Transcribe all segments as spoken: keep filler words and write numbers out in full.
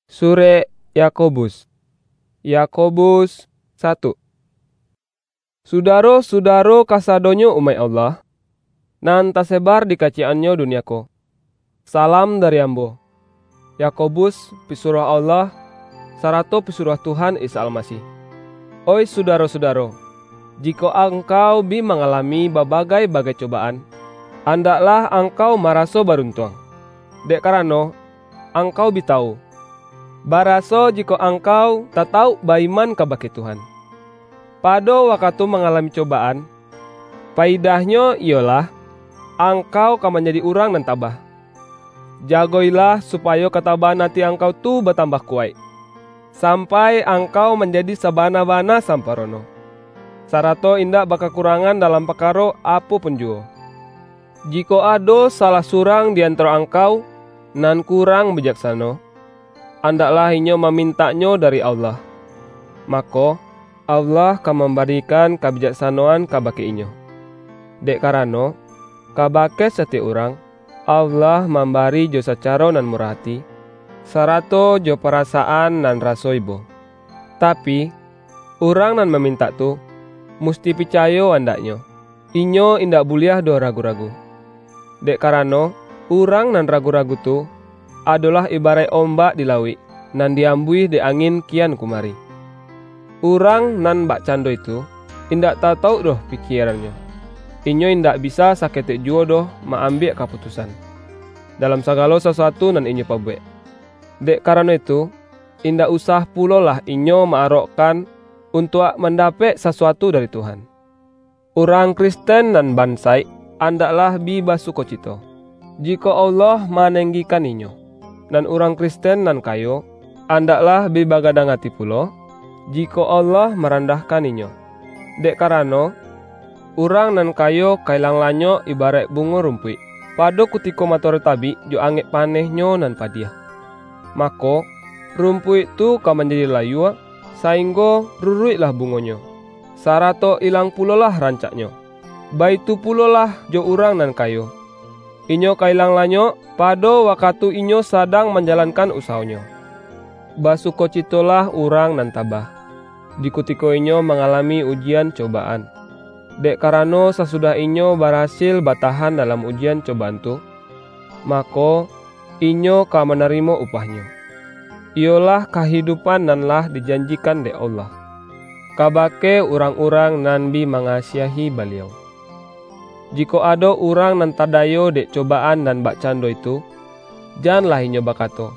Surek Yakobus. Yakobus satu. Sudaro-sudaro kasadonyo umaik Allah, nan tasebar di kaciyek-annyo dunia ko. Salam dari ambo, Yakobus, pisuruah Allah, sarato pisuruah Tuhan Isa Almasih. Oih sudaro-sudaro, jikok angkau bi mangalami babagai-bagai cobaan, andaklah angkau maraso baruntuang, dek karano, angkau bi tawu, baraso jikok angkau tatawuk ba-iman kabake Tuhan, pado wakatu mangalami cobaan, paidahnyo iyolah, angkau ka manjadi urang nan tabah. Jago-ilah supayo katabaan ati angkau tu batambah kuwaik, sampai angkau manjadi sabana-bana samparono, sarato indak bakakurangan dalam pakaro apo pun juwo. Jikok ado salah surang di antaro angkau nan kurang bijaksano, andaklah inyo mamintaknyo dari Allah. Mako, Allah ka mambarikan kabijaksanoan kabake inyo. Dek karano, kabake satiok urang, Allah mambari jo sacaro nan murah ati, sarato jo parasaan nan raso ibo. Tapi, urang nan mamintak tu, musti picayo andaknyo, inyo indak buliah doh ragu-ragu. Dek karano, urang nan ragu-ragu tu, adolah ibaraik ombak di lauik, nan diambuih dek angin kian kumari. Urang nan bakcando itu, indak tatawuk doh pikierannyo. Inyo indak bisa saketek juwo doh ma-ambiak kaputusan, dalam sagalo sasuatu nan inyo pabuwek. Dek karano itu, indak usah pulolah inyo ma-arokkan untuak mandapek sasuatu dari Tuhan. Urang Kristen nan bansaik, andaklah bi basukocito, jikok Allah manenggikan inyo. Nan urang Kristen nan kayo, andaklah bi bagadang ati pulo, jikok Allah marandahkan inyo. Dek karano, urang nan kayo ka ilang lanyok ibaraik bungo rumpuik, pado kutiko matoari tabik jo angek panehnyo nan padiah. Mako, rumpuik tu ka manjadi layua, sainggo ruruiklah bungonyo, sarato ilang pulolah rancaknyo. Baitu pulolah jo urang nan kayo. Inyo ka ilang lanyok, pado wakatu inyo sadang manjalankan usawonyo. Basukocitolah urang nan tabah, di kutiko inyo mangalami ujian cobaan. Dek karano, sasudah inyo barasil batahan dalam ujian cobaan tu, mako, inyo ka manarimo upahnyo, iyolah kahidupan nan lah dijanjikan dek Allah, kabake urang-urang nan bi mangasiahi Baliau. Jikok ado urang nan tadayo dek cobaan nan bakcando itu, janlah inyo bakato,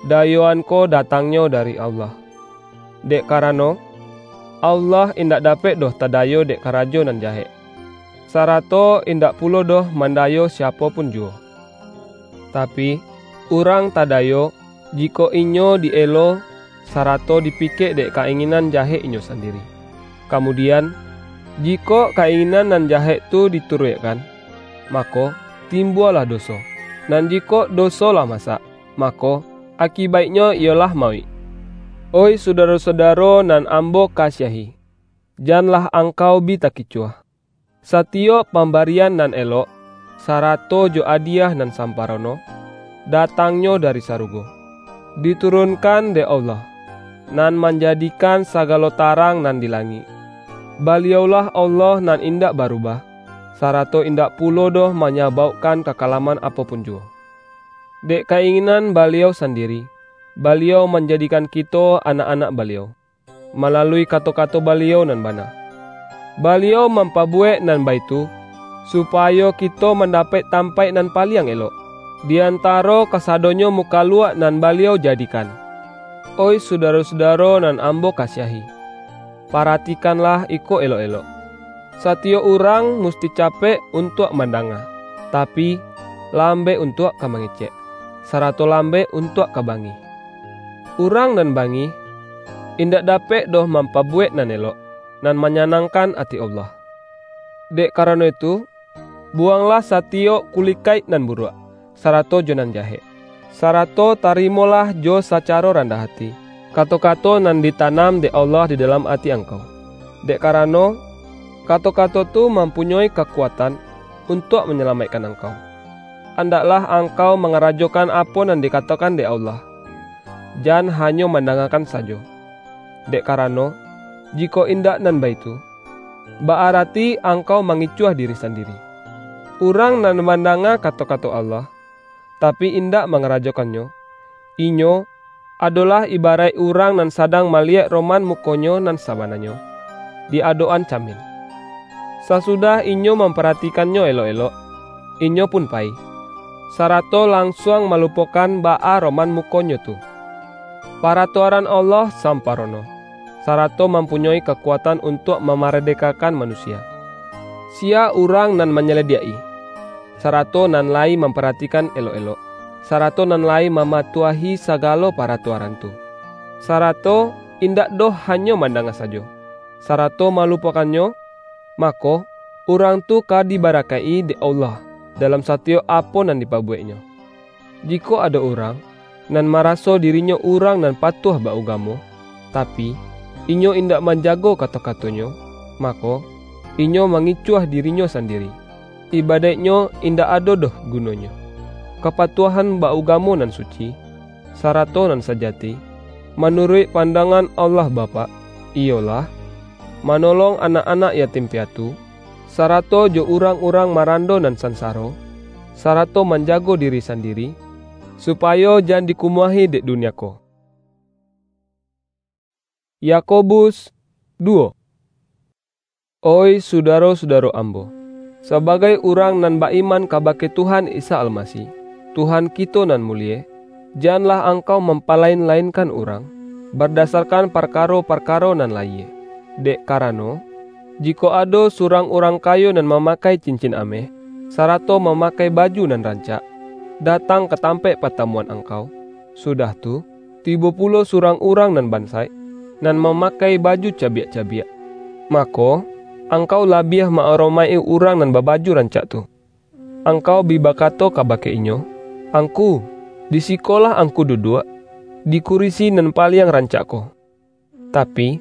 "Dayoan ko datangnyo dari Allah." Dek karano, Allah indak dapek doh tadayo dek karajo nan jahek, sarato indak pulo doh mandayo siapo pun juwo. Tapi, urang tadayo, jikok inyo di-elo, sarato dipikek dek ka-inginan jahek inyo sandiri. Kamudian, jikok ka-inginan nan jahek tu dituruikkan, mako, timbualah doso. Nan jikok doso lah masak, mako, akibaiknyo iyolah mauik. Oih sudaro-sudaro nan ambo kasiahi, janlah angkau bi takicuah. Satiyok pambarian nan elok, sarato jo adiyah nan samparono, datangnyo dari sarugo, diturunkan dek Allah, nan manjadikan sagalo tarang nan di langik. Baliaulah Allah nan indak barubah, sarato indak pulo doh manyabaukkan kakalaman apo pun juwo. Dek ka-inginan Baliau sandiri, Baliau manjadikan kito anak-anak Baliau, malalui kato-kato Baliau nan bana. Baliau mampabuwek nan baitu, supayo kito mandapek tampaik nan paliang elok, di antaro kasadonyo mukaluak nan Baliau jadikan. Oih sudaro-sudaro nan ambo kasiahi, paratikanlah iko elok-elok. Satiyok urang musti capek untuak mandanga, tapi, lambek untuak ka mangecek, sarato lambek untuak ka bangih. Urang nan bangih, indak dapek doh mampabuwek nan elok, nan manyanangkan ati Allah. Dek karano itu, buwanglah satiyok kulikaik nan buruak, sarato jo nan jahek, sarato tarimolah jo sacaro randah ati, kato-kato nan ditanam dek Allah di dalam ati angkau. Dek karano, kato-kato tu mampunyoi kakuatan untuak manyalamaikkan angkau. Andaklah angkau mangarajokan apo nan dikatokan dek Allah. jan hanyo mandangakan sajo. Dek karano, jikok indak nan baitu, ba-arati angkau mangicuah diri sandiri. Urang nan mandanga kato-kato Allah, tapi indak mangarajokannyo, inyo adolah ibaraik urang nan sadang maliek roman mukonyo nan sabananyo, di adok-an camin. Sasudah inyo mamparati-kannyo elok-elok, inyo pun payi, sarato lansuang malupokan baa roman mukonyo tu. Paratuaran Allah samparono, sarato mampunyoi kakuatan untuak mamaradekakan manusia. Sia urang nan manyaladiak-i, sarato nan layi mamparatikan elok-elok, sarato nan layi mamatuahi sagalo paratuaran tu, sarato indak doh hanyo mandanga sajo, sarato malupokannyo, mako, urang tu ka dibarakaik-i dek Allah dalam satiyok apo nan dipabuweknyo. Jikok ado urang nan maraso dirinyo urang nan patuah ba-ugamo, tapi, inyo indak manjago kato-katonyo, mako, inyo mangicuah dirinyo sandiri. Ibadaiknyo indak ado doh gunonyo. Kapatuahan ba-ugamo nan suci, sarato nan sajati, manuruik pandangan Allah Bapak, iyolah, manolong anak-anak yatim piatu, sarato jo urang-urang marando nan sansaro, sarato manjago diri sandiri, supayo jan dikumuahi dek dunia ko. Yakobus duo. Oih sudaro-sudaro ambo, sabagai urang nan ba-iman kabake Tuhan Isa Almasih, Tuhan kito nan mulie, janlah angkau mampalain-lainkan urang, bardasarkan parkaro-parkaro nan layie. Dek karano, jikok ado surang urang kayo nan mamakai cincin ameh, sarato mamakai baju nan rancak, datang ka tampaik patamuan angkau, sudah tu, tibo pulo surang urang nan bansaik, nan mamakai baju cabiak-cabiak, mako, angkau labiah ma-aromaik-i urang nan babaju rancak tu. Angkau bi bakato kabake inyo, "Angku, di sikolah angku duduak, di kurisi nan paliang rancak ko." Tapi,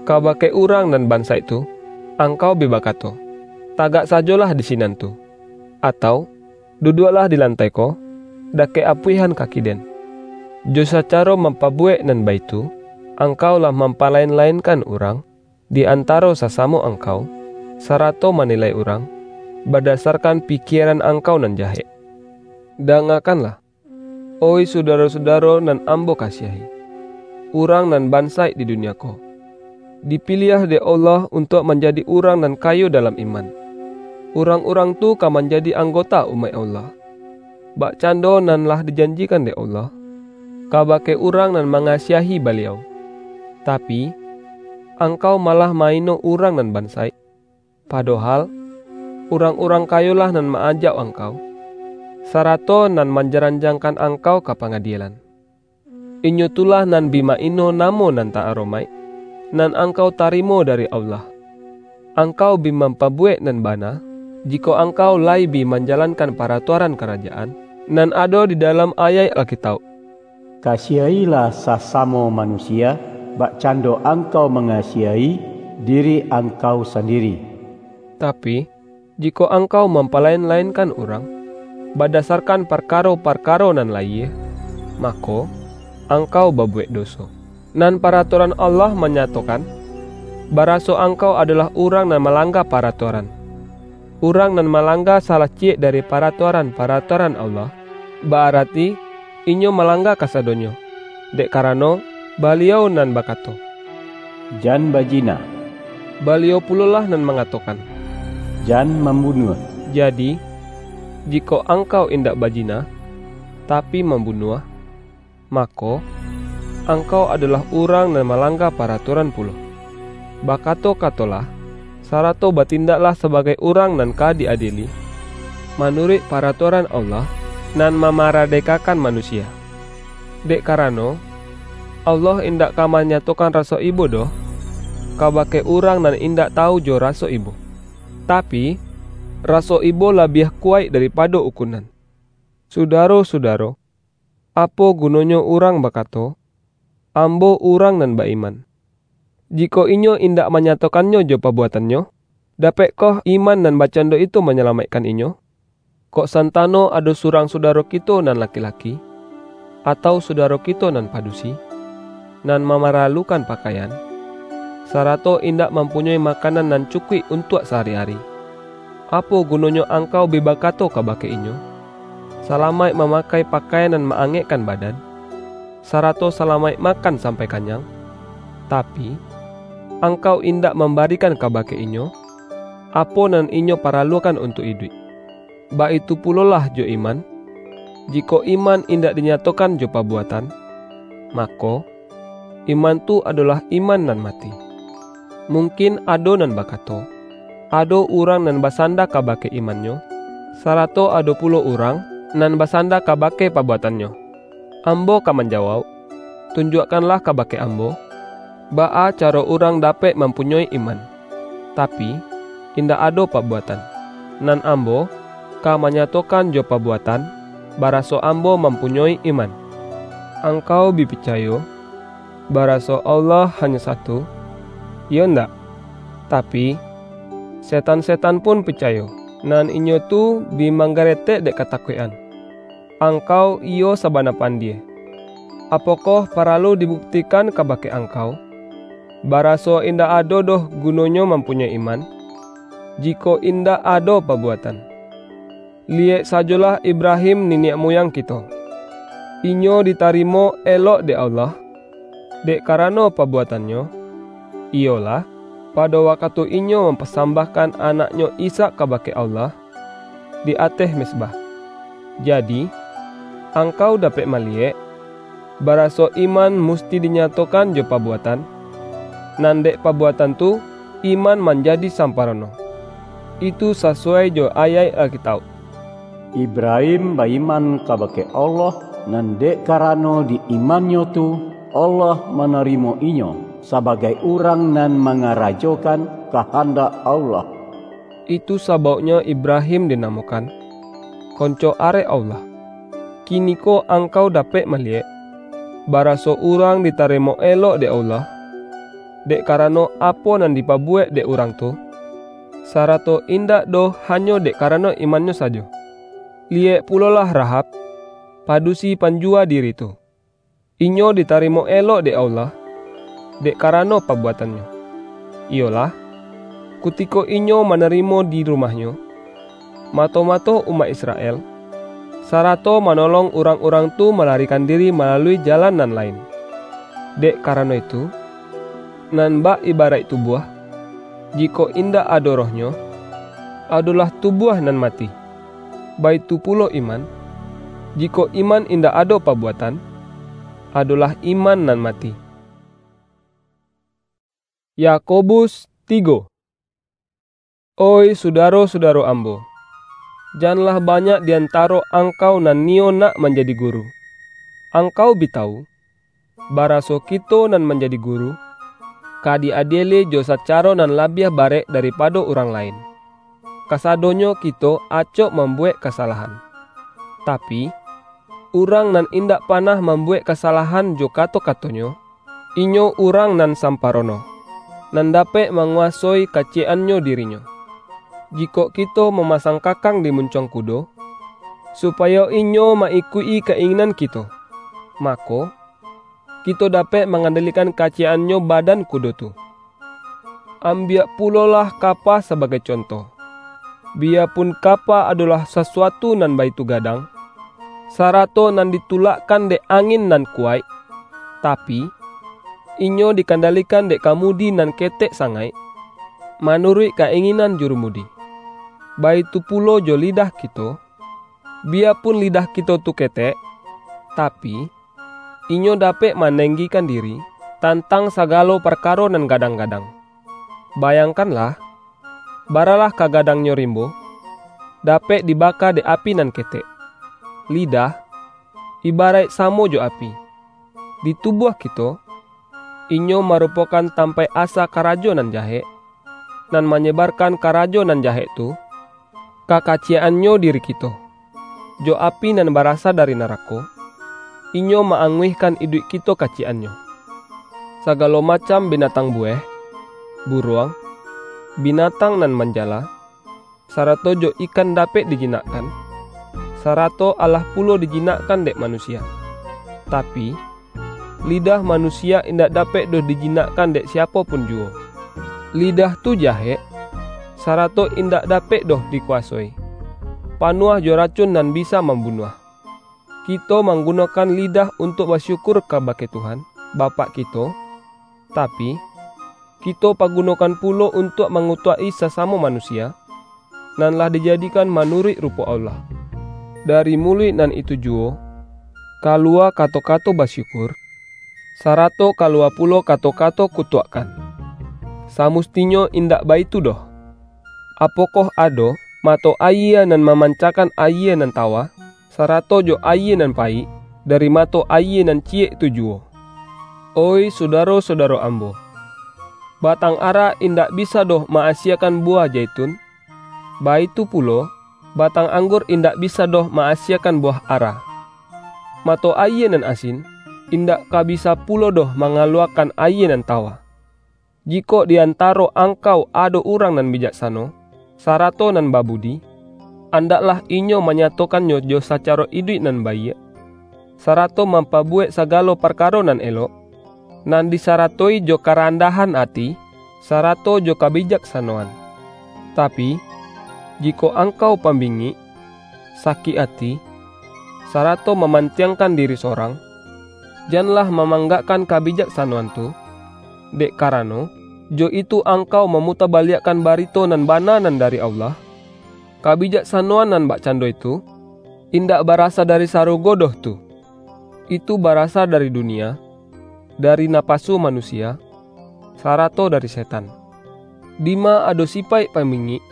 kabake urang nan bansaik tu, angkau bi bakato, "Tagak sajolah di sinan tu," atau, "Duduaklah di lantai ko, dakek apuihan kaki den." Jo sacaro mampabuwek nan baitu, angkau lah mampalain-lainkan urang, di antaro sasamo angkau, sarato manilai urang, badasarkan pikieran angkau nan jahek. Dangakanlah, oih sudaro-sudaro nan ambo kasiahi, urang nan bansaik di dunia ko, dipiliah dek Allah untuak manjadi urang nan kayo dalam iman. Urang-urang tu ka manjadi anggota umaik Allah, bakcando nan lah dijanjikan dek Allah, kabake urang nan mangasiahi Baliau. Tapi, angkau malah ma-ino urang nan bansaik, padohal, urang-urang kayolah nan ma-ajak angkau, sarato nan manjaranjangkan angkau ka pangadielan. Inyo tu lah nan bi ma-ino namo nan ta-aromaik, nan angkau tarimo dari Allah. Angkau bi mampabuwek nan bana, jikok angkau lai bi manjalankan paratuaran karajaan, nan ado di dalam ayaik Alkitauk, "Kasiahilah sasamo manusia, bakcando angkau mangasiahi diri angkau sandiri." Tapi, jikok angkau mampalain-lainkan urang, badasarkan parkaro-parkaro nan layie, mako, angkau babuwek doso. Nan paratuaran Allah manyatokan, baraso angkau adolah urang nan malangga paratuaran. Urang nan malangga salah ciyek dari paratuaran-paratuaran Allah, ba-arati inyo malangga kasadonyo. Dek karano, Baliau nan bakato, "Jan bajina." Baliau pulolah nan mangatokan, "Jan mambunuah." Jadi, jikok angkau indak bajina, tapi mambunuah, mako, angkau adolah urang nan malangga paratuaran pulo. Bakato-katolah, sarato batindaklah sabagai urang nan ka di-adieli, manuruik paratuaran Allah, nan mamaradekakan manusia. Dek karano, Allah indak ka manyatokan raso ibo doh, kabake urang nan indak tawu jo raso ibo. Tapi, raso ibo labiah kuwaik daripado ukunan. Sudaro-sudaro, apo gunonyo urang bakato, "Ambo urang nan ba-iman," jikok inyo indak manyatokannyo jo pabuatannyo? Dapekkoh iman nan bakcando itu manyalamaikkan inyo? Kok santano ado surang sudaro kito nan laki-laki, atau sudaro kito nan padusi, nan mamaralukan pakaian, sarato indak mampunyoi makanan nan cukuik untuak sahari-ari, apo gunonyo angkau bi bakato kabake inyo, "Salamaik mamakai pakaian nan ma-angekkan badan, sarato salamaik makan sampai kanyang," tapi, angkau indak mambarikan kabake inyo, apo nan inyo paralukan untuak iduik? Baitu pulolah jo iman, jikok iman indak dinyatokan jo pabuatan, mako, iman tu adolah iman nan mati. Mungkin ado nan bakato, "Ado urang nan basanda kabake imannyo, sarato ado pulo urang nan basanda kabake pabuatannyo." Ambo ka manjawauk, "Tunjuakkanlah kabake ambo, baa caro urang dapek mampunyoi iman, tapi, indak ado pabuatan, nan ambo ka manyatokan jo pabuatan, baraso ambo mampunyoi iman." Angkau bi picayo, baraso Allah hanyo satu, iyo ndak? Tapi, setan-setan pun picayo, nan inyo tu bi manggaretek dek katakuikan. Angkau iyo sabana pandie. Apokoh paralu dibuktikan kabake angkau, baraso indak ado doh gunonyo mampunyoi iman, jikok indak ado pabuatan? Liyek sajolah Ibrahim niniak muyang kito. Inyo ditarimo elok dek Allah, dek karano pabuatannyo, iyolah, pado wakatu inyo mampasambahkan anaknyo Ishak kabake Allah di ateh mezbah. Jadi, angkau dapek maliyek, baraso iman musti dinyatokan jo pabuatan, nan dek pabuatan tu, iman manjadi samparono. Itu sasuai jo ayaik Alkitauk. Ibrahim ba-iman kabake Allah, nan dek karano di imannyo tu, Allah manarimo inyo sabagai urang nan mangarajokan kahandak Allah. Itu sabauknyo Ibrahim dinamokan, "Konco arek Allah." Kiniko angkau dapek maliyek, baraso urang ditarimo elok dek Allah, dek karano apo nan dipabuwek dek urang tu, sarato indak doh hanyo dek karano imannyo sajo. Liyek pulolah Rahab, padusi panjuwa diri tu. Inyo ditarimo elok dek Allah, dek karano pabuatannyo. Iyolah, kutiko inyo manarimo di rumahnyo, mato-mato umaik Israel, sarato manolong urang-urang tu malarikan diri malalui jalan nan lain. Dek karano itu, nan bak ibaraik tubuah, jikok indak ado rohnyo, adolah tubuah nan mati. Baitu pulo iman, jikok iman indak ado pabuatan, adolah iman nan mati. Yakobus tigo. Oih sudaro-sudaro ambo, janlah banyak di antaro angkau nan niyo nak manjadi guru. Angkau bi tawu, baraso kito nan manjadi guru, ka di-adieli jo sacaro nan labiah barek daripado urang lain. Kasadonyo kito acok mambuwek kasalahan. Tapi, urang nan indak panah mambuwek kasalahan jo kato-katonyo, inyo urang nan samparono, nan dapek manguwasoi kaciyek-annyo dirinyo. Jikok kito mamasang kakang di muncuang kudo, supayo inyo ma-ikuik-i ka-inginan kito, mako, kito dapek mangandalikan kaciyek-annyo badan kudo tu. Ambiak pulolah kapa sabagai conto. Biyapun kapa adolah sasuatu nan baitu gadang, sarato nan ditulakkan dek angin nan kuwaik, tapi, inyo dikandalikan dek kamudi nan ketek sangaik, manuruik ka-inginan jurumudi. Baitu pulo jo lidah kito, biyapun lidah kito tu ketek, tapi, inyo dapek manenggikan diri tantang sagalo parkaro nan gadang-gadang. Bayangkanlah, baralah ka gadangnyo rimbo, dapek dibaka dek api nan ketek. Lidah, ibaraik samo jo api. Di tubuah kito, inyo marupokan tampaik asa karajo nan jahek, nan manyebarkan karajo nan jahek tu, ka kaciyek-annyo diri kito. Jo api nan barasa dari narako, inyo ma-anguihkan iduik kito kaciyek-annyo. Sagalo macam binatang buweh, buruang, binatang nan manjala, sarato jo ikan dapek dijinakkan, sarato alah pulo dijinakkan dek manusia. Tapi, lidah manusia indak dapek doh dijinakkan dek siapo pun juwo. Lidah tu jahek, sarato indak dapek doh dikuasoi. Panuah jo racun nan bisa mambunuah. Kito manggunokan lidah untuak basyukur kabake Tuhan, Bapak kito, tapi, kito pagunokan pulo untuak mangutuak-i sasamo manusia, nan lah dijadikan manuruik rupo Allah. Dari muluik nan itu juwo, kaluwa kato-kato basyukur, sarato kaluwa pulo kato-kato kutuakkan. Samustinyo indak baitu doh. Apokoh ado mato ayie nan mamancakan ayie nan tawa, sarato jo ayie nan paik dari mato ayie nan ciyek tu juwo? Oih sudaro-sudaro ambo, batang ara indak bisa doh ma-asiekan buwah jaitun, baitu pulo, batang anggur indak bisa doh ma-asiekan buwah ara. Mato ayie nan asin indak ka bisa pulo doh mangaluwakan ayie nan tawa. Jikok di antaro angkau ado urang nan bijaksano, sarato nan babudi, andaklah inyo manyatokannyo jo sacaro iduik nan baiak, sarato mampabuwek sagalo parkaro nan elok, nan disaratoi jo karandahan ati, sarato jo kabijaksanoan. Tapi, jikok angkau pambingik, sakik ati, sarato mamantiangkan diri sorang, janlah mamanggakkan kabijaksanoan tu, dek karano, jo itu angkau mamutabaliakkan barito nan bana nan dari Allah. Kabijaksanoan nan bakcando itu, indak barasa dari sarugo doh tu. Itu barasa dari dunia, dari napasu manusia, sarato dari setan. Dima ado sipaik pambingik,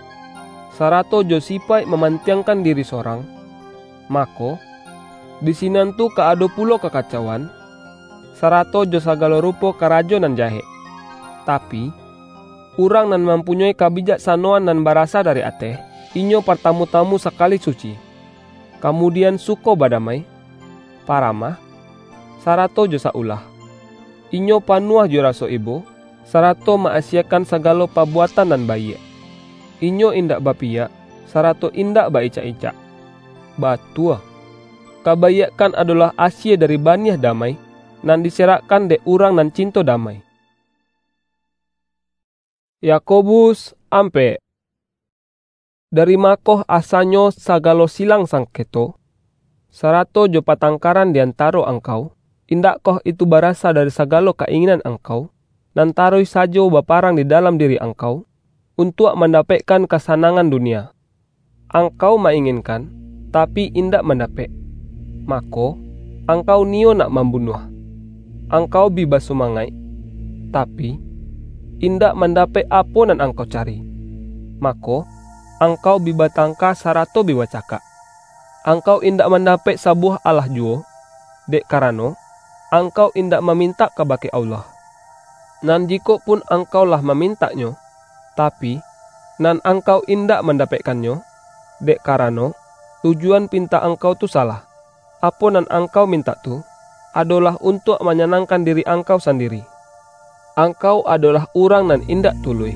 sarato jo sipaik mamantiangkan diri sorang, mako, di sinan tu ka ado pulo kakacauan, sarato jo sagalo rupo karajo nan jahek. Tapi, urang nan mampunyoi kabijaksanoan nan barasa dari ateh, inyo partamu-tamu sakali suci, kamudian suko badamai, paramah, sarato jo sa-ulah. Inyo panuah jo raso ibo, sarato ma-asiekan sagalo pabuatan nan baiak. Inyo indak bapiyak, sarato indak ba-icak-icak. Batua, kabaiakkan adolah asie dari baniah damai, nan diserakkan dek urang nan cinto damai. Yakobus ampek. Dari makoh asanyo sagalo silang sangketo, sarato jo patangkaran di antaro angkau? Indakkoh itu barasa dari sagalo ka-inginan angkau, nan taruih sajo baparang di dalam diri angkau, untuak mandapekkan kasanangan dunia? Angkau ma-inginkan, tapi indak mandapek, mako, angkau niyo nak mambunuah. Angkau bi basumangaik, tapi, indak mandapek apo nan angkau cari, mako, angkau bi batangka sarato bi bacakak. Angkau indak mandapek sabuwah alah juwo, dek karano, angkau indak mamintak kabake Allah. Nan jikok pun angkau lah mamintaknyo, tapi, nan angkau indak mandapekkannyo, dek karano, tujuan pintak angkau tu salah. Apo nan angkau mintak tu, adolah untuak manyanangkan diri angkau sandiri. Angkau adolah urang nan indak tuluih.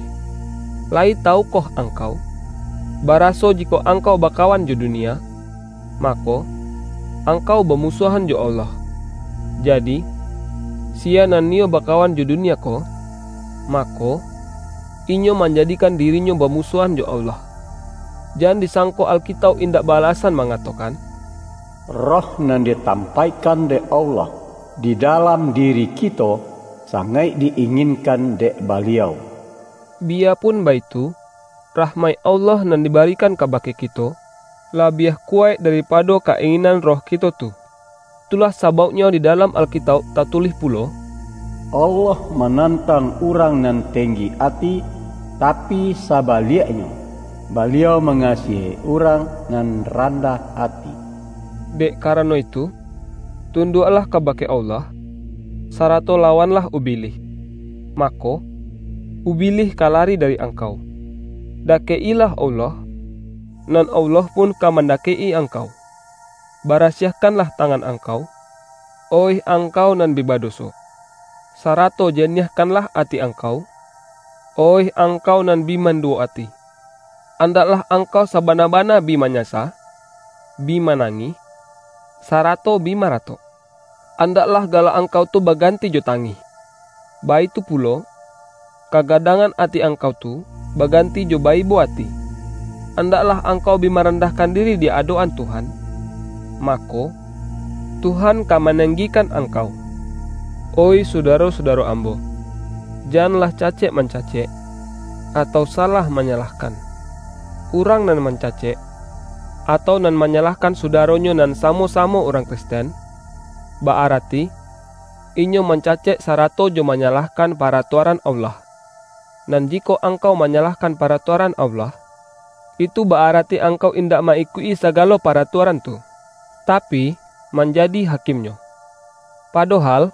Lai tawukoh angkau, baraso jikok angkau bakawan jo dunia, mako, angkau bamusuahan jo Allah? Jadi, siya nan niyo bakawan jo dunia ko, mako, inyo manjadikan dirinyo bamusuahan jo Allah. Jan disangko Alkitauk indak ba-alasan mangatokan, Roh nan ditampaikan dek Allah di dalam diri kito, sangaik di-inginkan dek Baliau. Biyapun baitu, rahmaik Allah nan dibarikan kabake kito, labiah kuwaik daripado ka-inginan roh kito tu. Itulah sabauknyo di dalam Alkitauk tatulih pulo, Allah manantang urang nan tenggi ati, tapi sabaliaknyo, Baliau mangasiahi urang nan randah ati. Dek karano itu, tunduaklah kabake Allah, sarato lawanlah Ubilih, mako, Ubilih ka lari dari angkau. Dakek-ilah Allah, nan Allah pun ka mandakek-i angkau. Barasiahkanlah tangan angkau, oih angkau nan bi badoso, sarato janiahkanlah ati angkau, oih angkau nan bi manduwo ati. Andaklah angkau sabana-bana bi manyasa, bi manangih, sarato bi maratok. andaklah galak angkau tu baganti jo tangih. Baitu pulo, kagadangan ati angkau tu baganti jo baibo ati. Andaklah angkau bi marandahkan diri di adok-an Tuhan, mako, Tuhan ka mananggikan angkau. Oih sudaro-sudaro ambo, janlah cacek-mancacek, atau salah manyalahkan. Urang nan mancacek, atau nan manyalahkan sudaronyo nan samo-samo urang Kristen, ba-arati, inyo mancacek sarato jo manyalahkan paratuaran Allah. Nan jikok angkau manyalahkan paratuaran Allah, itu ba-arati angkau indak ma-ikuik-i sagalo paratuaran tu, tapi, manjadi hakimnyo. Padohal,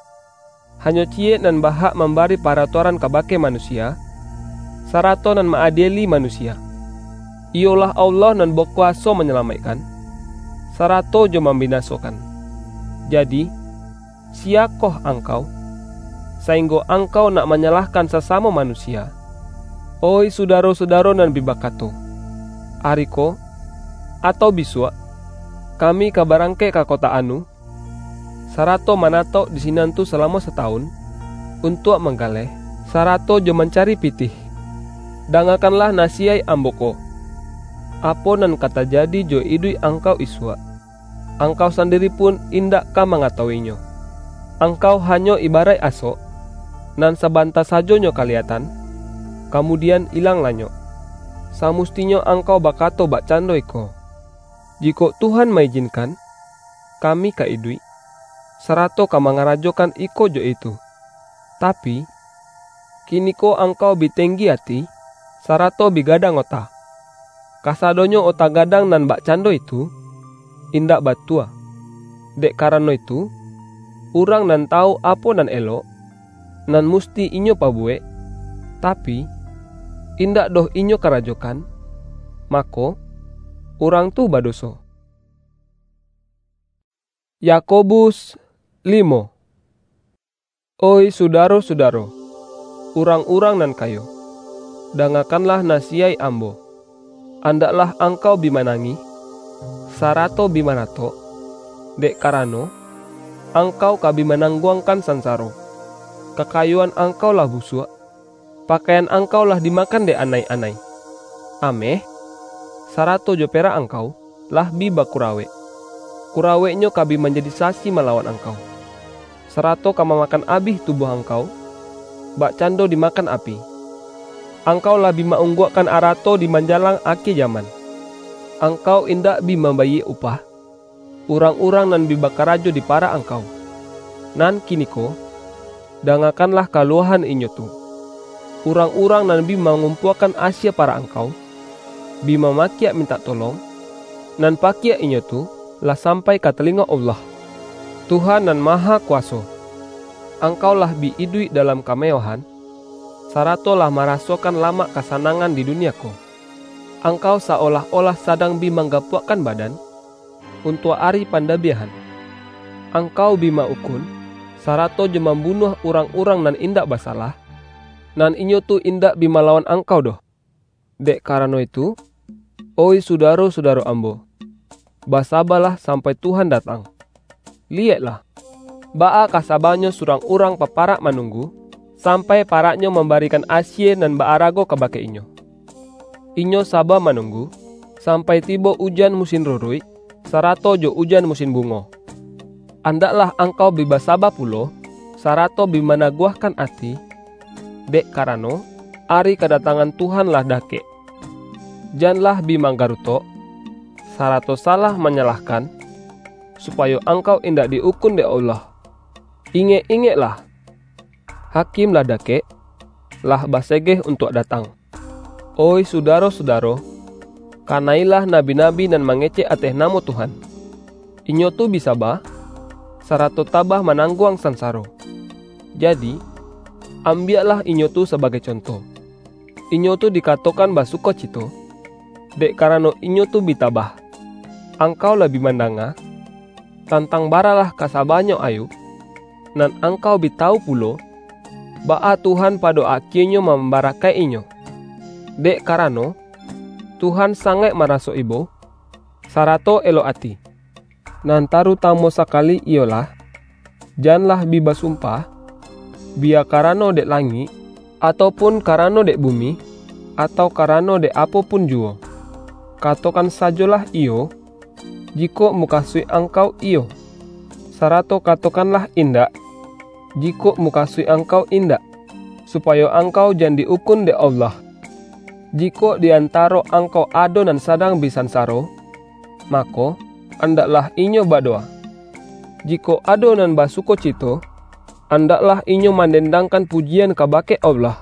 hanyo ciyek nan bahak mambari paratuaran kabake manusia, sarato nan ma-adieli manusia, iyolah Allah nan bakuwaso manyalamaikkan, sarato jo mambinasokan. Jadi, siyakoh angkau, sainggo angkau nak manyalahkan sasamo manusia? Oih sudaro-sudaro nan bi bakato, "Ari ko, atau bisuak, kami ka barangkek ka kota anu, sarato manatauk di sinan tu salamo satawun, untuak manggaleh, sarato jo mancari pitih." Dangakanlah nasiyaik ambo ko. Apo nan ka tajadi jo iduik angkau isuak, angkau sandiri pun indak ka mangatawuinyo. Angkau hanyo ibaraik asok, nan sabanta sajo nyo kaliyatan, kamudian ilang lanyok. Samustinyo angkau bakato bakcando iko, "Jikok Tuhan maijinkan, kami ka iduik, sarato ka mangarajokan iko jo itu." Tapi, kiniko angkau bi tenggi ati, sarato bi gadang ota. Kasadonyo ota gadang nan bakcando itu, indak batua. Dek karano itu, urang nan tawu apo nan elok, nan musti inyo pabuwek, tapi, indak doh inyo karajokan, mako, urang tu badoso. Yakobus limo. Oih sudaro-sudaro, urang-urang nan kayo, dangakanlah nasiyaik ambo. Andaklah angkau bi manangih, sarato bi maratok, dek karano, angkau ka bi manangguangkan sansaro. Kakayoan angkau lah busuak, pakaian angkau lah dimakan dek anai-anai. Ameh, sarato jo perak angkau, lah bi bakurawek. Kuraweknyo ka bi manjadi sasi malawan angkau, sarato ka mamakan abih tubuah angkau, bakcando dimakan api. Angkau lah bi ma-ungguakkan arato di manjalang akie jaman. Angkau indak bi mambayie upah, urang-urang nan bi bakarajo di parak angkau. Nan kiniko, dangakanlah kaluahan inyo tu. Urang-urang nan bi mangumpuakan asie parak angkau, bi mamakiak mintak tolong, nan pakiak inyo tu lah sampai ka talingo Allah, Tuhan Nan Mahakuwaso. Angkau lah bi iduik dalam kamewahan, sarato lah marasokan lamak kasanangan di dunia ko. Angkau saolah-olah sadang bi manggapuakkan badan, untuak ari pandabiahan. Angkau bi ma-ukun, sarato jo mambunuah urang-urang nan indak basalah, nan inyo tu indak bi malawan angkau doh. Dek karano itu, oih sudaro-sudaro ambo, basabalah sampai Tuhan datang. Liyeklah, baa kasabanyo surang urang paparak manunggu, sampai paraknyo mambarikan asie nan ba-arago kabake inyo. Inyo saba manunggu, sampai tibo ujan musin ruruik, sarato jo ujan musin bungo. Andaklah angkau bi basaba pulo, sarato bi managuahkan ati, dek karano, ari kadatangan Tuhan lah dakek. Janlah bi manggarutok, sarato salah manyalahkan, supayo angkau indak di-ukun dek Allah. Ingek-ingeklah! Hakim lah dakek, lah basegeh untuak datang. Oih sudaro-sudaro, kanailah nabi-nabi nan mangecek ateh namo Tuhan. Inyo tu bi saba, sarato tabah manangguang sansaro. Jadi, ambiaklah inyo tu sabagai conto. Inyo tu dikatokan basukocito, dek karano inyo tu bi tabah. Angkau lah bi mandanga, tantang baralah kasabanyo Ayub, nan angkau bi tawu pulo, baa Tuhan pado akienyo mambarakaik-inyo. Dek karano, Tuhan sangaik maraso ibo, sarato elok ati. Nan tarutamo sakali iyolah, Janlah bi basumpah, biya karano dek langik, atau pun karano dek bumi, atau karano dek apo pun juwo. Katokan sajolah iyo, jikok mukasuik angkau iyo, sarato katokanlah indak, jikok mukasuik angkau indak, supayo angkau jan di-ukun dek Allah. Jikok di antaro angkau ado nan sadang bi sansaro, mako, andaklah inyo badowa. Jikok ado nan basukocito, andaklah inyo mandendangkan pujian kabake Allah.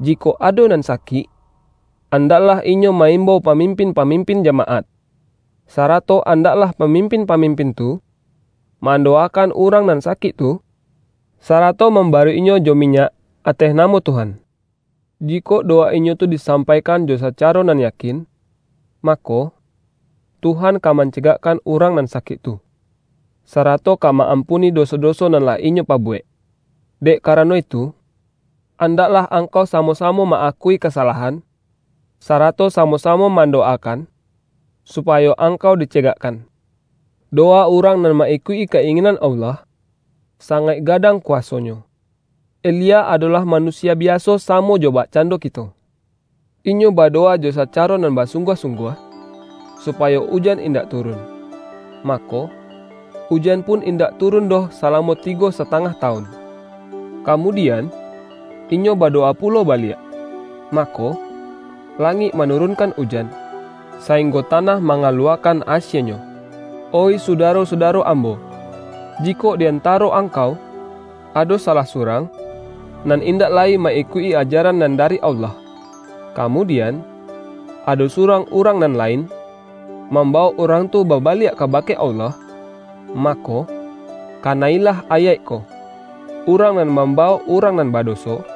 Jikok ado nan sakik, andaklah inyo ma-imbau pamimpin-pamimpin jamaat, sarato andaklah pamimpin-pamimpin tu mandowakan urang nan sakik tu, sarato mambaruiknyo jo minyak ateh namo Tuhan. Jikok dowa inyo tu disampaikan jo sacaro nan yakin, mako, Tuhan ka mancegakkan urang nan sakik tu, sarato ka ma-ampuni doso-doso nan lah inyo pabuwek. Dek karano itu, andaklah angkau samo-samo ma-akui kasalahan, sarato samo-samo mandowakan, supayo angkau dicegakkan. Dowa urang nan ma-ikuik-i ka-inginan Allah, sangaik gadang kuwasonyo. Elia adolah manusia biaso samo jo bakcando kito. Inyo badowa jo sacaro nan basungguah-sungguah, supayo ujan indak turun. Mako, ujan pun indak turun doh salamo tigo satangah tawun. Kamudian, inyo badowa pulo baliak. Mako, langik manurunkan ujan, sainggo tanah mangaluwakan asienyo. Oih sudaro-sudaro ambo, jikok di antaro angkau ado salah surang, nan indak lai ma-ikuik-i ajaran nan dari Allah, kamudian, ado surang urang nan lain, mambawok urang tu babaliak kabake Allah, mako, kanailah ayaik ko: Urang nan mambawok urang nan badoso,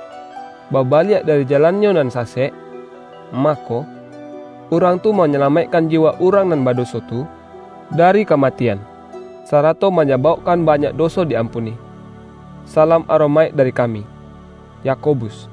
babaliak dari jalannyo nan sasek, mako, urang tu manyalamaikkan jiwa urang nan badoso tu dari kamatian, sarato manyabaukkan banyak doso di-ampuni. Salam aromaik dari kami, Yakobus.